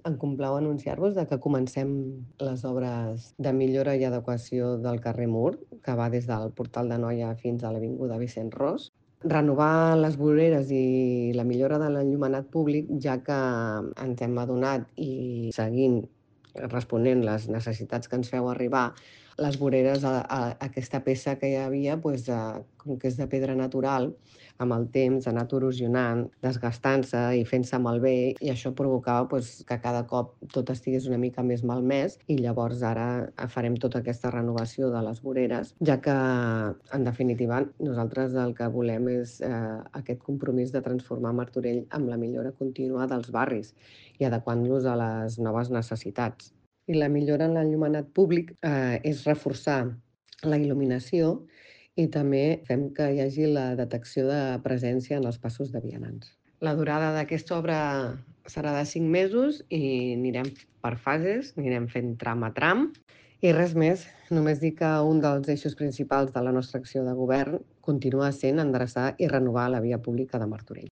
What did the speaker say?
Em complau anunciar-vos que comencem les obres de millora i adequació del carrer Mur, que va des del Portal de Noia fins a l'avinguda Vicent Ros. Renovar les voreres i la millora de l'enllumenat públic, ja que ens hem adonat i seguint responent les necessitats que ens feu arribar, les voreres, aquesta peça que hi havia, com que és de pedra natural, amb el temps ha anat erosionant, desgastant-se i fent-se malbé, i això provocava que cada cop tot estigués una mica més malmès, i llavors ara farem tota aquesta renovació de les voreres, ja que, en definitiva, nosaltres el que volem és aquest compromís de transformar Martorell amb la millora contínua dels barris i adequant-los a les noves necessitats. I la millora en l'enllumenat públic és reforçar la il·luminació i també fem que hi hagi la detecció de presència en els passos de vianants. La durada d'aquesta obra serà de 5 mesos i anirem per fases, anirem fent tram a tram. I res més, només dir que un dels eixos principals de la nostra acció de govern continua sent endreçar i renovar la via pública de Martorell.